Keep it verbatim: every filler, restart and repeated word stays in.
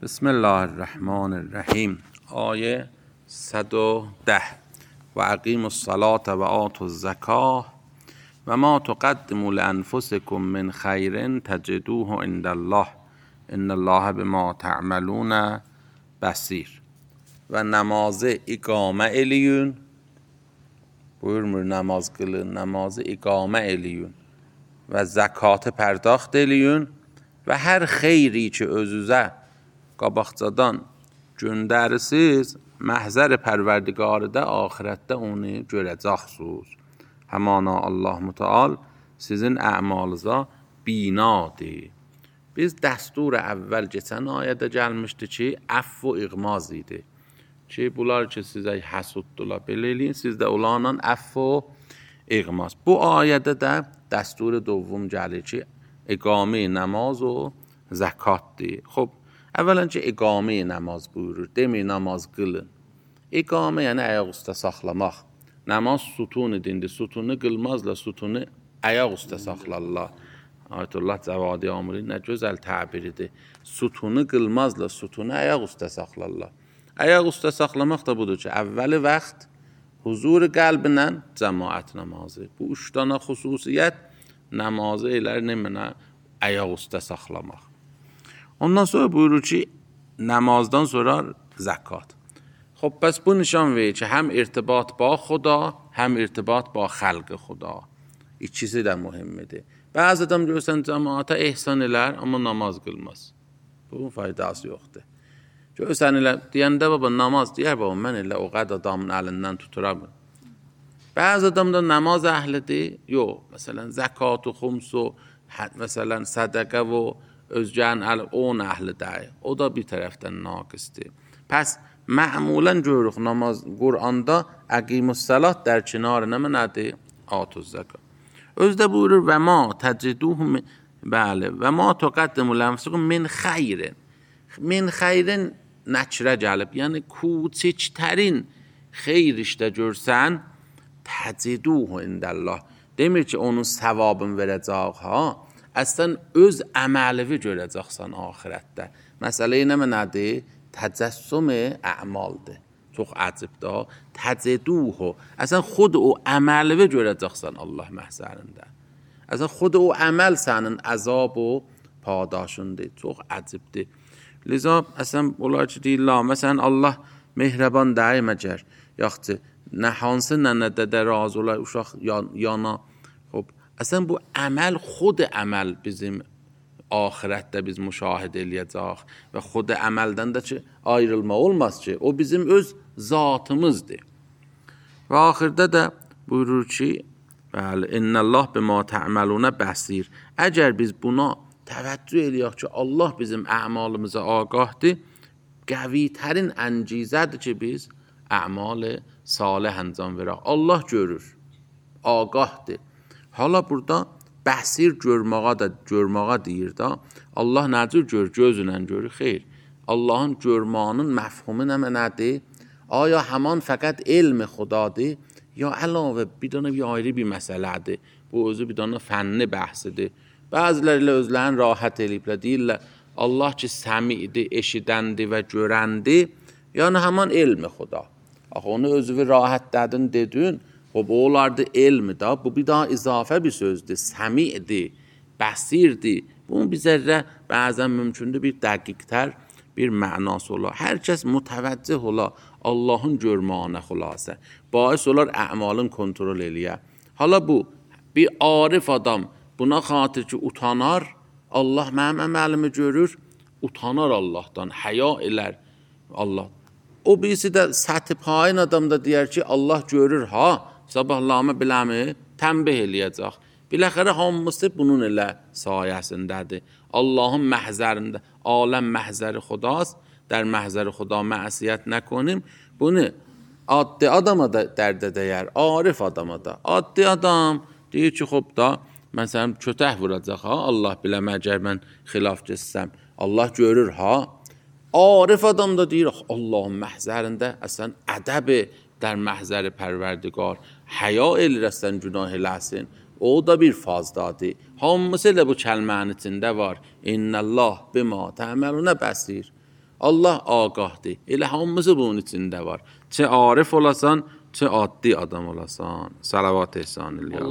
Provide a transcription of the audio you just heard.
بسم الله الرحمن الرحیم. آیه صد و ده: و اقیموا الصلاة و آتوا الزکاة و ما تقدموا لانفسکم من خیر تجدوه عند الله ان الله بما تعملون بصیر. و namazı iqamə eləyin. Buyurmur namaz qılın, namazı iqamə eləyin və zəkatı pərdaxt eləyin və hər xeyri ki özünüzə qabaqcadan göndərsiniz, məhzər pərverdigarıda axirətdə onu görəcəksiniz. Həmana Allah Müteal sizin əmalınıza binadır. Biz dəstur əvvəl keçən ayədə gəlmişdi ki, əff və iğmaz idi. Ki bunlar ki sizə həsuddular, belə eləyin, siz də onlarla əff və iğmaz. Bu ayədə də dəstur dovum gəlir ki, iqamə namaz və zəkatdır. Xub, əvvələn ki, iqamə namaz buyurur, demir namaz qılın. İqamə yəni ayaq üstə saxlamaq. Namaz sütunu dindir, sütunu qılmazla sütunu ayaq üstə saxlarlar. Ayətullah Cavadi Amiri nə gözəl təbiridir. Sütunu qılmazla sütunu ayaq üstə saxlarlar. Ayaq üstə saxlamaq da budur ki, əvvəli vaxt huzur qəlbinlə cəmaət namazı. Bu üç dana xüsusiyyət namazı elər nəminə ayaq üstə saxlamaq. Ondan sonra buyurur ki, namazdan sonra zəkat. خب پس bu nişan verir ki, həm irtibat ba xuda, həm irtibat ba xalq xuda. İkisi də mühimmidir. Bəzi adam görürsən cəmaata ehsan elər, amma namaz qılmaz. Bunun faydası yoxdur. Görürsən elə, deyəndə baba namaz deyər, baba mən elə o qədər adamın əlindən tuturam. Bəzi adam da namaz əhlidir, yox. Məsələn, zəkat və xums və məsələn, sədəqə və özgən on əhlidir. O da bir tərəfdən naqisdir. Pəs معمولا görürük namaz Quranda əqimussalat در کنار nə nədir? Atuz zəkat. Özdə buyurur və ma təciduhu bəli və ma təqəddəmu lənfusəkum min xeyrin. Min xeyrin nəkrə gəlib. Yəni küçüklərin xeyr işdə görsən təciduhu indəllah. Demir ki, onun savabını verəcək ha. Əslən öz əməlivi görəcəksən axirətdə. Məsələ nə nədir? تجسم اعمالdır. Çox əcibdir. Təciduhu. Əsən xud o əməli görəcəksən Allah məhzərində. Əsən xud o əməl sənin əzab və padaşındır. Çox əcibdir. Liza əsən onlar ki deyirlər, məsələn Allah mehriban deyil məgər. Yaxçı, nə hansı nənədə də razı olar uşaq yana. Xub, əsən bu əməl xud əməl bizim ahirətdə biz müşahidə eləyəcək və xud əməldən də ki, ayrılma olmaz ki, o bizim öz zatımızdır. Və axirdə də buyurur ki, bəli, innəllah bima tə'məlunə bəsir. Əgər biz buna təvəccüh eləyək ki, Allah bizim əmalımıza ağahdır, qəvitərin əncizədir ki, biz əmalı salih əncam verək. Allah görür, ağahdır. Hala burada bəsir görməğa da görməğa deyir da. Allah nəcür gör, gözünlə görür, xeyr. Allahın görmağının məfhumu nə nədir? Aya həman fəqət elmi xudadır, ya əlavə bir dənə bir ayrı bir məsələdir. Bu özü bir dənə fənni bəhsidir. Bəziləri ilə özlərini rahat eləyiblər, deyirlər, Allah ki səmidir, eşidəndir və görəndir, yəni həman elmi xuda. Axı onu özü rahat dədin dedin, خب olardı elmi da, bu bir daha izafə bir sözdür, səmidir, bəsirdir. Bunun bir zərrə bəzən mümkündür bir dəqiqtər bir mənası olar. Hər kəs mütəvəccih olar Allahın görməyinə xülasə. Bais olar əmalın kontrol eləyə. Hala bu, bir arif adam buna xatir ki utanar, Allah mənim əməlimi görür, utanar Allahdan, həya elər Allah. O birisi də səthi payın adam da deyər ki, Allah görür ha, sabahlamı biləmi, tənbih eləyəcək. Biləxərə hamısı bunun elə sayəsindədir. Allahın məhzərində, aləm məhzəri xudast, در محضر خدا معصیت نکنیم. Bunu addi adama da dərdə dəyər, arif adama da. Addi adam deyir ki, xub da, məsələn, kötək vuracaq ha, Allah biləmə, əgər mən xilaf geçsəm. Allah görür ha. Arif adam da deyir, Allahın məhzərində əslən ədəbi در محضر پروردگار حیا elirəsən günah eləsin. O da bir fazdadır. Hamısı da bu kəlmənin içində var. İnnəllah bima tə'məlunə bəsir. Allah ağahdır. Elə hamımızı bunun içində var. Çə arif olasan, çə addi adam olasan. Salavat ehsan eləyək.